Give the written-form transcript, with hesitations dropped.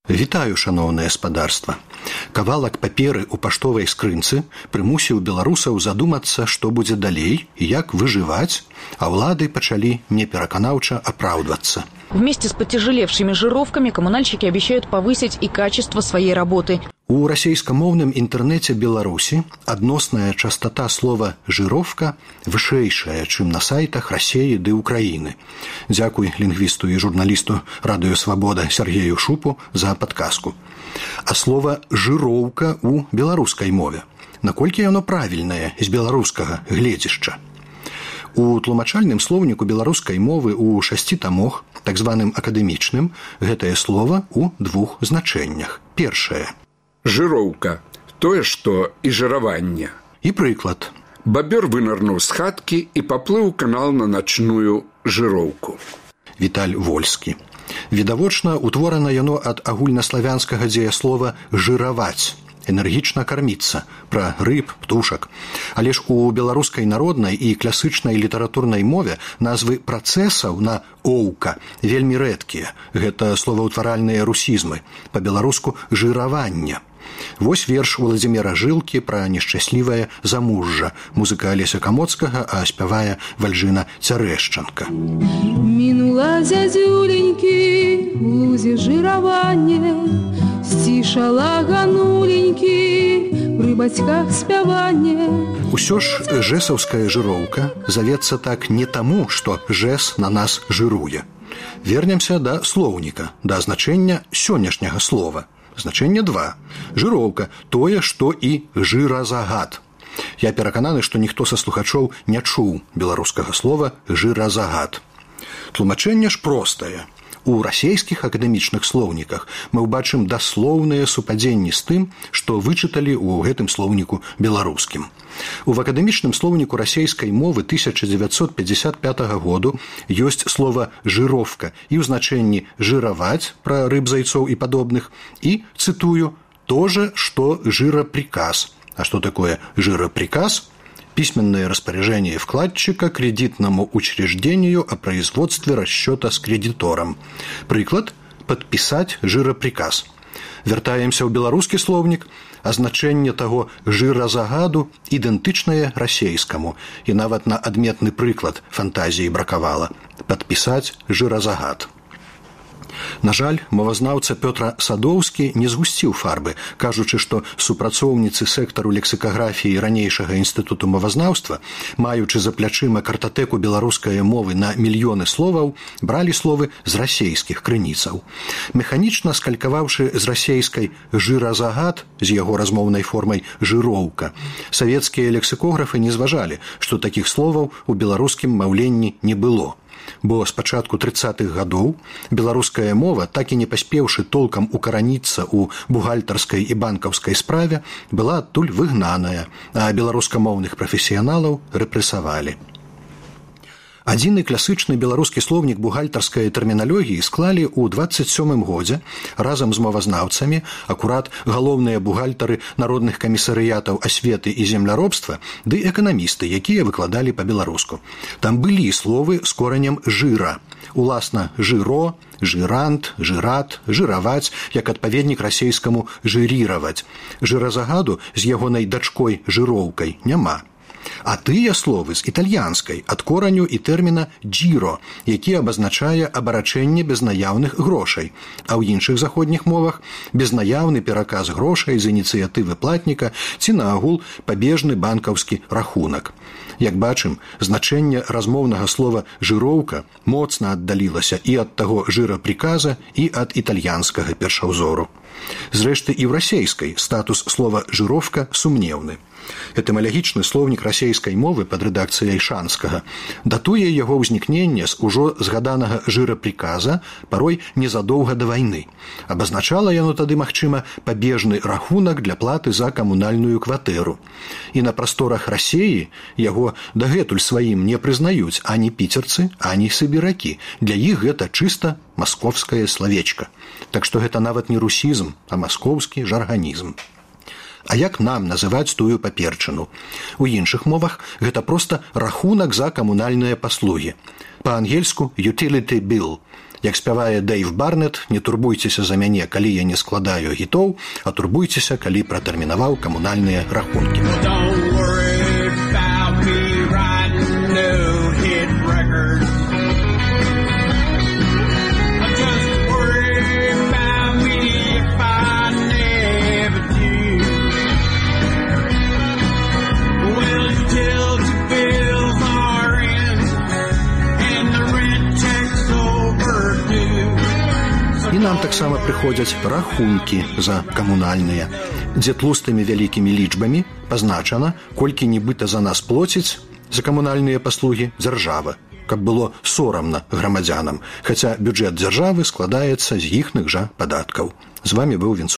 Вітаю, шаноўнае спадарства. Кавалак паперы ў паштовай скрынцы прымусіў беларусаў задумацца, што будзе далей і як выжываць, а ўлады пачалі непераканаўча апраўдвацца. Вместе с потяжелевшими жировками коммунальщики обещают повысить и качество своей работы. У расейскамоўным інтэрнэце Беларусі адносная частота слова «жировка» вышэйшая, чым на сайтах Расеі ды Украіны. Дзякуй лінгвісту і журналісту Радыё Свабода Сергею Шупу за падказку. А слова «жыроўка» у беларускай мове. Наколькі яно правільнае з беларускага гледзішча? У тлумачальным слоўніку беларускай мовы ў 6 тамах, так званым акадэмічным, гэтае слова ў 2 значэннях. Першае. Жыроўка. Тое, што і жыраванне. І прыклад. Бабёр вынырнуў з хаткі і паплыў канал на начную жыроўку. Віталь Вольскі. Відавочна, утворана яно ад агульнаславянскага дзеяслова «жыраваць», энергічна карміцца, пра рыб, птушак. Але ж у беларускай народнай і класычнай літаратурнай мове назвы працэсаў на «оўка» вельмі рэдкія. Гэта словаўтваральныя русізмы, па-беларуску «жыраванне». Вось верш Владзіміра Жылкі пра нешчаслівае замужжа. Музыка Алеся Камоцкага, а спявае Вальжына Цярэшчанка. Мінула зядзюленькі у лузе жыраванне, сцішала гануленькі пры бацьках спяванне. Усё ж жэсаўская жыроўка завецца так не таму, што жэс на нас жыруе. Вернемся да слоўніка, да значэння сённяшняга слова. Значэнне 2. Жыроўка – тое, што і жыразагад. Я перакананы, што ніхто са слухачоў не чуў беларускага слова «жыразагад». Тлумачэнне ж простае. У расейскіх акадэмічных слоўніках мы ўбачым даслоўныя супадзенні з тым, што вычыталі ў гэтым слоўніку беларускім. У акадэмічным слоўніку расейскай мовы 1955 году ёсць слова «жыровка» і ў значэнні «жыраваць» пра рыб, зайцоў і падобных, і, цытую, «то же, что жироприказ». А что такое жироприказ? Письменное распоряжение вкладчика кредитному учреждению о производстве расчета с кредитором. Прыклад – подписать жироприказ. Вяртаемся ў беларускі слоўнік, а значэнне таго жыразагаду ідэнтычнае расейскаму, і нават на адметны прыклад фантазіі бракавала – падпісаць жыразагад. На жаль, мовазнаўца Пётр Садоўскі не згусціў фарбы, кажучы, што супрацоўніцы сектару лексікаграфіі ранейшага інстытуту мовазнаўства, маючы за плячыма картатэку беларускай мовы на мільёны словаў, бралі словы з расейскіх крыніцаў. Механічна скалькаваўшы з расейскай жыразагад з яго размоўнай формай жыроўка, савецкія лексікографы не зважалі, што такіх словаў у беларускім маўленні не было. Бо з пачатку 30-х гадоў беларуская мова, так і не паспеўшы толкам укараніцца ў бухгалтарскай і банкаўскай справе, была адтуль выгнаная, а беларускамоўных прафесіяналаў рэпрэсавалі. Адзіны класычны беларускі слоўнік бухгалтарскай тэрміналогіі склалі ў 27-м годзе разам з мовазнаўцамі акурат галоўныя бухгалтары народных камісарыятаў асветы і земляробства ды эканамісты, якія выкладалі па-беларуску. Там былі словы з коранем жыра. Уласна жыро, жырант, жырат, жыраваць, як адпаведнік расейскаму жыріраваць. Жыразагаду з ягонай дачкой жыроўкай няма. А тыя словы з італьянскай ад кораню і тэрміна «джіро», які абазначае абарачэнне без наяўных грошай, а ў іншых заходніх мовах безнаяўны пераказ грошай з ініцыятывы платніка ці наагул пабежны банкаўскі рахунак. Як бачым, значэнне размоўнага слова «жыроўка» моцна аддалілася і ад таго жырапрыказа, і ад італьянскага першаўзору. Зрэшты, і ў расейскай статус слова «жыровка» сумнеўны. Этымалагічны слоўнік расейскай мовы пад рэдакцыяй Шанскага датуе яго ўзнікнення з ужо згаданага жырапрыказа парой незадоўга да вайны. Абазначала яно тады, магчыма, пабежны рахунак для платы за камунальную кватэру. І на прасторах Расеі яго дагэтуль сваім не прызнаюць ані піцерцы, ані сыбіракі. Для іх гэта чыста маскоўскае славечка. Так што гэта нават не русізм, а маскоўскі жарганізм. А як нам называць тую паперчыну? У іншых мовах гэта проста рахунак за камунальныя паслугі. Па-ангельску utility bill. Як спявае Дэйв Барнет, не турбуйцеся за мяне, калі я не складаю гітоў, а турбуйцеся, калі пратэрмінаваў камунальныя рахункі. І нам таксама прыходзяць рахункі за камунальныя, дзе тлустымі вялікімі лічбамі пазначана, колькі нібыта за нас плоціць за камунальныя паслугі дзяржава, каб было сорамна грамадзянам, хаця бюджэт дзяржавы складаецца з іхных жа падаткаў. З вамі быў Вінцу.